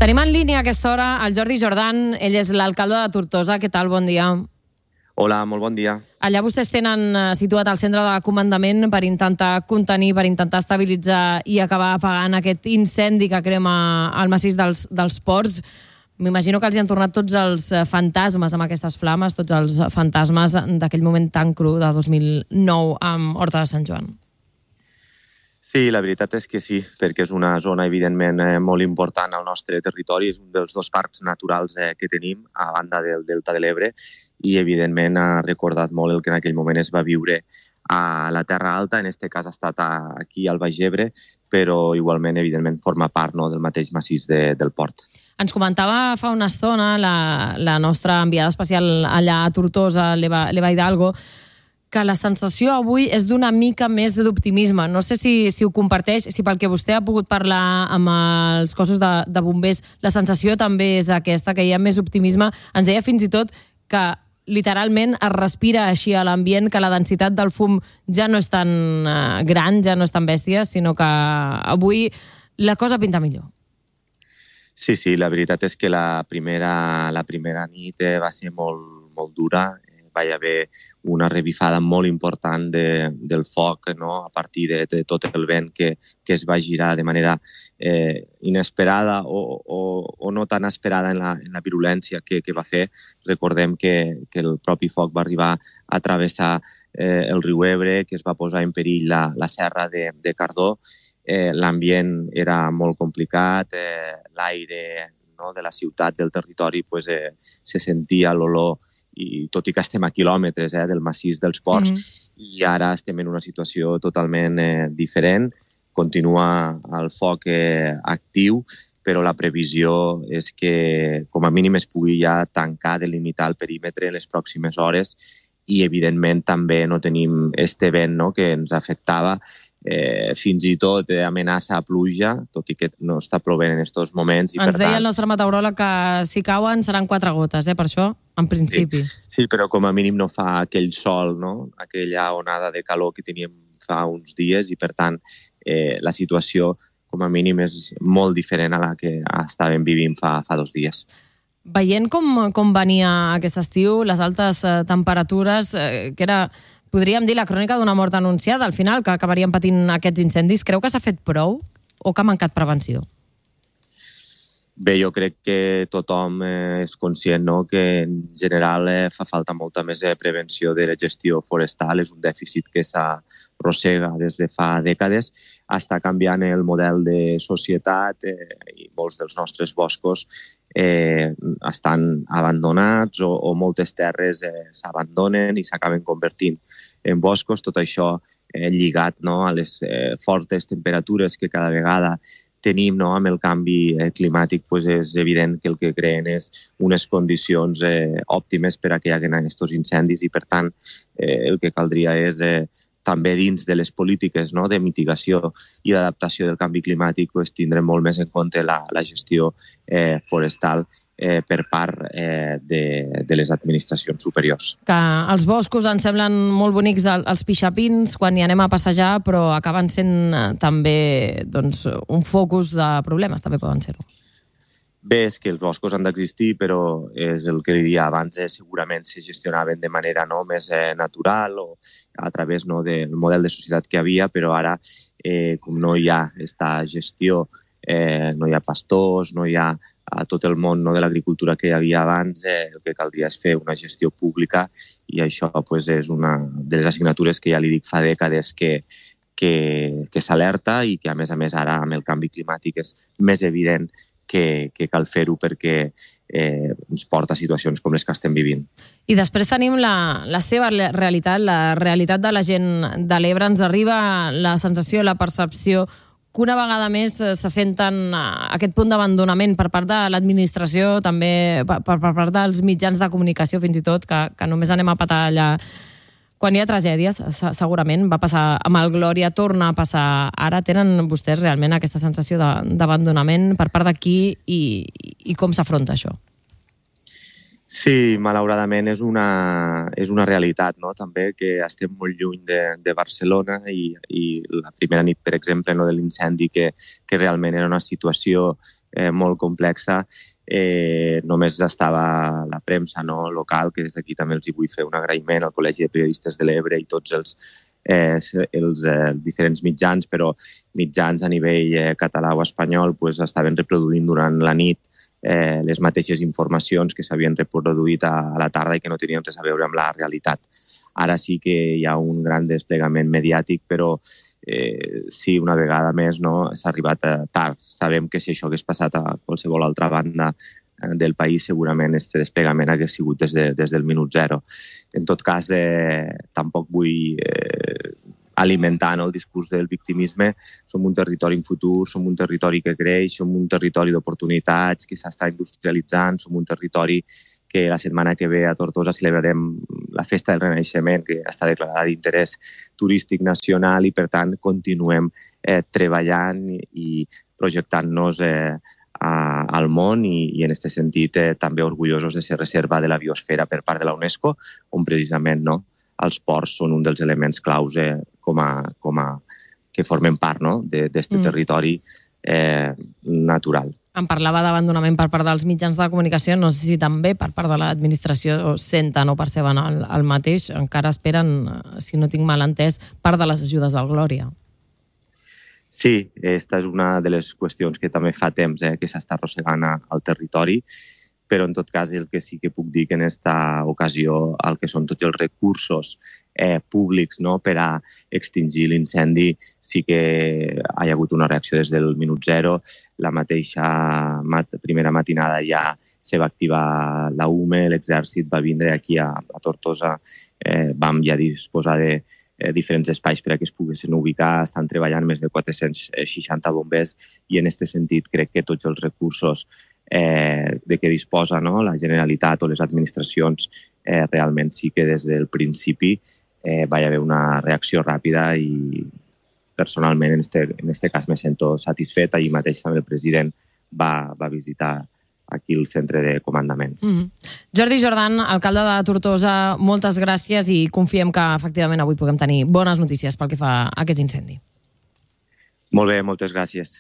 Tenim en línia a aquesta hora el Jordi Jordan, ell és l'alcalde de Tortosa. Què tal? Bon dia. Hola, molt bon dia. Allà vostès tenen situat el centre de comandament per intentar contenir, per intentar estabilitzar i acabar apagant aquest incendi que crema el massís dels ports. M'imagino que els hi han tornat tots els fantasmes amb aquestes flames, tots els fantasmes d'aquell moment tan cru de 2009 amb Horta de Sant Joan. Sí, la veritat és que sí, perquè és una zona evidentment molt important al nostre territori, és un dels dos parcs naturals que tenim a banda del Delta de l'Ebre i evidentment ha recordat molt el que en aquell moment es va viure a la Terra Alta, en aquest cas ha estat aquí al Baix Ebre, però igualment evidentment forma part del mateix massís del port. Ens comentava fa una estona la nostra enviada especial allà a Tortosa, l'Eva Hidalgo, que la sensació avui és d'una mica més d'optimisme. No sé si ho comparteix, si pel que vostè ha pogut parlar amb els cossos de bombers, la sensació també és aquesta, que hi ha més optimisme. Ens deia fins i tot que literalment es respira així a l'ambient, que la densitat del fum ja no és tan gran, ja no és tan bèstia, sinó que avui la cosa pinta millor. Sí, la veritat és que la primera nit va ser molt dura. Va haver una revifada molt important del foc, no? A partir de tot el vent que es va girar de manera inesperada o no tan esperada en la virulència que va fer. Recordem que el propi foc va arribar a travessar el riu Ebre, que es va posar en perill la serra de Cardó. L'ambient era molt complicat, l'aire de la ciutat, del territori, se sentia l'olor, i tot i que estem a quilòmetres del massís dels ports, i ara estem en una situació totalment diferent. Continua el foc actiu, però la previsió és que com a mínim es pugui ja tancar, delimitar el perímetre en les pròximes hores, i evidentment també no tenim este vent que ens afectava, fins i tot amenaça a pluja, tot i que no està plovent en aquests moments. Ens deia el nostre meteoròleg que si cauen seran 4 gotes, per això, en principi. Sí, però com a mínim no fa aquell sol, aquella onada de calor que teníem fa uns dies, i per tant la situació com a mínim és molt diferent a la que estàvem vivint fa 2 dies. Veient com venia aquest estiu, les altes temperatures, que era, podríem dir, la crònica d'una mort anunciada, al final, que acabaríem patint aquests incendis, creu que s'ha fet prou o que ha mancat prevenció? Bé, jo crec que tothom és conscient que en general fa falta molta més prevenció de la gestió forestal. És un dèficit que s'arrossega des de fa dècades. Està canviant el model de societat i molts dels nostres boscos estan abandonats o moltes terres s'abandonen i s'acaben convertint en boscos. Tot això lligat a les fortes temperatures que cada vegada tenim amb el canvi climàtic, és evident que el que creen és unes condicions òptimes per a que hi hagi aquests incendis, i per tant el que caldria és també dins de les polítiques de mitigació i d'adaptació del canvi climàtic tindre molt més en compte la gestió forestal per part de les administracions superiors. Que els boscos ens semblen molt bonics els pixapins quan hi anem a passejar, però acaben sent també un focus de problemes, també poden ser-ho. Bé, és que els boscos han d'existir, però és el que li dia abans, segurament se gestionaven de manera més natural o a través del model de societat que hi havia, però ara, com no hi ha aquesta gestió, no hi ha pastors, no hi ha tot el món de l'agricultura que hi havia abans, el que caldria és fer una gestió pública, i això és una de les assignatures que ja li dic fa dècades que s'alerta, i que a més ara amb el canvi climàtic és més evident que cal fer-ho perquè ens porta a situacions com les que estem vivint. I després tenim la seva realitat, la realitat de la gent de l'Ebre. Ens arriba la sensació, la percepció que una vegada més se senten aquest punt d'abandonament per part de l'administració, també per part dels mitjans de comunicació, fins i tot, que només anem a petar allà quan hi ha tragèdies. Segurament va passar amb el Glòria, torna a passar ara. Tenen vostès realment aquesta sensació d'abandonament per part d'aquí, i com s'afronta això? Sí, malauradament és una realitat, no? També que estem molt lluny de Barcelona i la primera nit, per exemple, no, de l'incendi, que realment era una situació molt complexa, només estava la premsa, no, local, que des d'aquí també els hi vull fer un agraïment al Col·legi de Periodistes de l'Ebre i tots els diferents mitjans, però mitjans a nivell català o espanyol pues, estaven reproduint durant la nit les mateixes informacions que s'havien reproduït a la tarda i que no tenien res a veure amb la realitat. Ara sí que hi ha un gran desplegament mediàtic, però sí, una vegada més no, s'ha arribat tard. Sabem que si això hagués passat a qualsevol altra banda del país, segurament este desplegament hagués sigut des del minut zero. En tot cas, tampoc vull alimentar el discurs del victimisme. Som un territori en futur, som un territori que creix, som un territori d'oportunitats que s'està industrialitzant, som un territori que la setmana que ve a Tortosa celebrarem la Festa del Renaixement, que està declarada d'interès turístic nacional i, per tant, continuem treballant i projectant-nos al món i en aquest sentit també orgullosos de ser reserva de la biosfera per part de la UNESCO, on precisament els ports són un dels elements claus que formen part d'aquest territori natural. Em parlava d'abandonament per part dels mitjans de comunicació, no sé si també per part de l'administració senten o perceben el mateix, encara esperen, si no tinc mal entès, part de les ajudes del Glòria. Sí, aquesta és una de les qüestions que també fa temps que s'està arrossegant al territori, però en tot cas el que sí que puc dir que en aquesta ocasió el que són tots els recursos públics per a extingir l'incendi sí que hi ha hagut una reacció des del minut zero. La mateixa primera matinada ja se va activar la UME, l'exèrcit va vindre aquí a Tortosa, vam ja disposar de diferents espais per a que es poguessin ubicar, estan treballant més de 460 bombers i en aquest sentit crec que tots els recursos de què disposa la Generalitat o les administracions realment sí que des del principi va haver una reacció ràpida i personalment en este cas me sento satisfet. Ahir mateix també el president va visitar aquí el centre de comandaments. Jordi Jordan, alcalde de Tortosa, moltes gràcies i confiem que efectivament avui puguem tenir bones notícies pel que fa a aquest incendi. Molt bé, moltes gràcies.